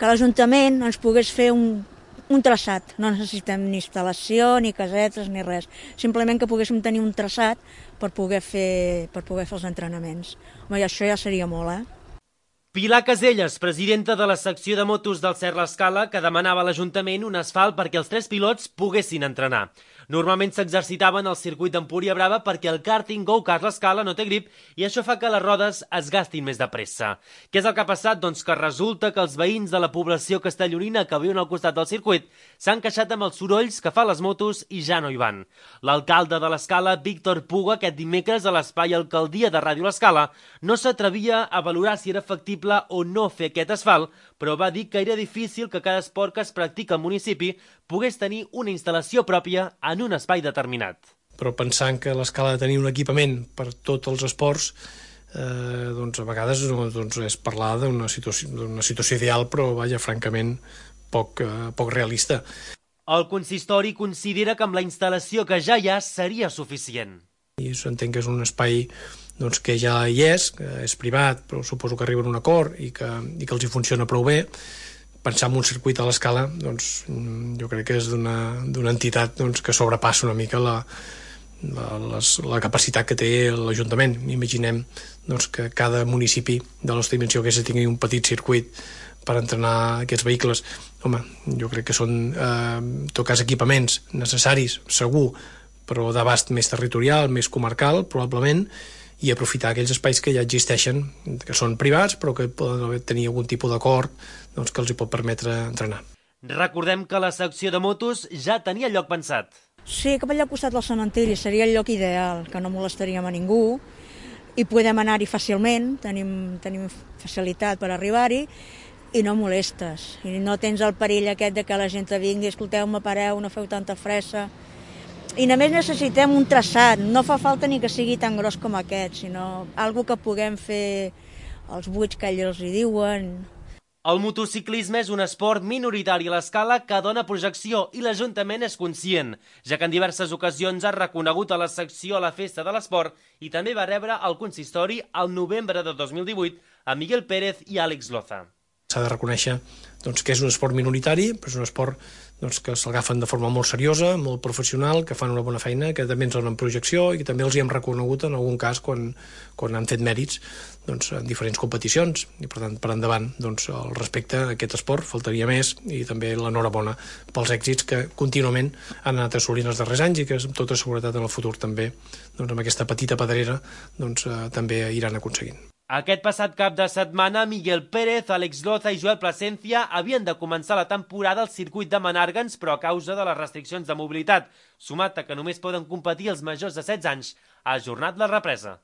que l'Ajuntament ens pogués fer un traçat. No necessitem ni instal·lació, ni casetes, ni res. Simplement que poguéssim tenir un traçat per poder fer els entrenaments. Home, i això ja seria molt, Pilar Caselles, presidenta de la secció de motos del Cert l'Escala, que demanava a l'Ajuntament un asfalt perquè els 3 pilots poguessin entrenar. Normalment s'exercitaven al circuit d'Empúria Brava perquè el karting go-kart l'Escala no té grip i això fa que les rodes es gastin més de pressa. Què és el que ha passat? Doncs que resulta que els veïns de la població castellonina que viuen al costat del circuit s'han queixat amb els sorolls que fa les motos i ja no hi van. L'alcalde de l'Escala, Víctor Puga, aquest dimecres a l'espai Alcaldia de Ràdio l'Escala, no s'atrevia a valorar si era factible o no fer aquest asfalt, però va dir que era difícil que cada esport que es practica al municipi pogués tenir una instal·lació pròpia en un espai determinat. Però pensant que l'Escala ha de tenir un equipament per tots els esports, doncs a vegades és parlar d'una situació ideal, però vaja, francament, poc realista. El consistori considera que amb la instal·lació que ja hi ha seria suficient. I s'entén que és un espai que ja hi és, que és privat, però suposo que arriben a un acord i que els hi funciona prou bé. Pensar en un circuit a l'Escala, jo crec que és d'una entitat que sobrepassa una mica la capacitat que té l'Ajuntament. Imaginem que cada municipi de la nostra dimensió que tingui un petit circuit per entrenar aquests vehicles. Home, jo crec que són, en tot cas, equipaments necessaris, segur, però d'abast més territorial, més comarcal, probablement, i aprofitar aquells espais que ja existeixen, que són privats, però que poden tenir algun tipus d'acord que els hi pot permetre entrenar. Recordem que la secció de motos ja tenia lloc pensat. Sí, cap allà al costat del cementiri seria el lloc ideal, que no molestaríem a ningú, i podem anar-hi fàcilment, tenim facilitat per arribar-hi, i no molestes. I no tens el perill aquest de que la gent vingui, escolteu-me, pareu, no feu tanta fressa. I només necessitem un traçat, no fa falta ni que sigui tan gros com aquest, sinó algo que puguem fer els buits que ells hi diuen. El motociclisme és un esport minoritari a l'Escala que dona projecció i l'Ajuntament és conscient, ja que en diverses ocasions ha reconegut a la secció a la Festa de l'Esport i també va rebre el consistori al novembre de 2018 a Miguel Pérez i Àlex Loza. S'ha de reconèixer que és un esport minoritari, però és un esport que s'agafen de forma molt seriosa, molt professional, que fan una bona feina, que també ens donen projecció i que també els hi hem reconegut en algun cas quan han fet mèrits en diferents competicions. I per tant, per endavant, el respecte a aquest esport faltaria més i també l'enhorabona pels èxits que contínuament han anat assolint els darrers anys i que amb tota seguretat en el futur també, amb aquesta petita pedrera, també iran aconseguint. Aquest passat cap de setmana, Miguel Pérez, Àlex Loza i Joel Plasencia havien de començar la temporada al circuit de Menàrguens, però a causa de les restriccions de mobilitat, sumat a que només poden competir els majors de 16 anys, ha ajornat la represa.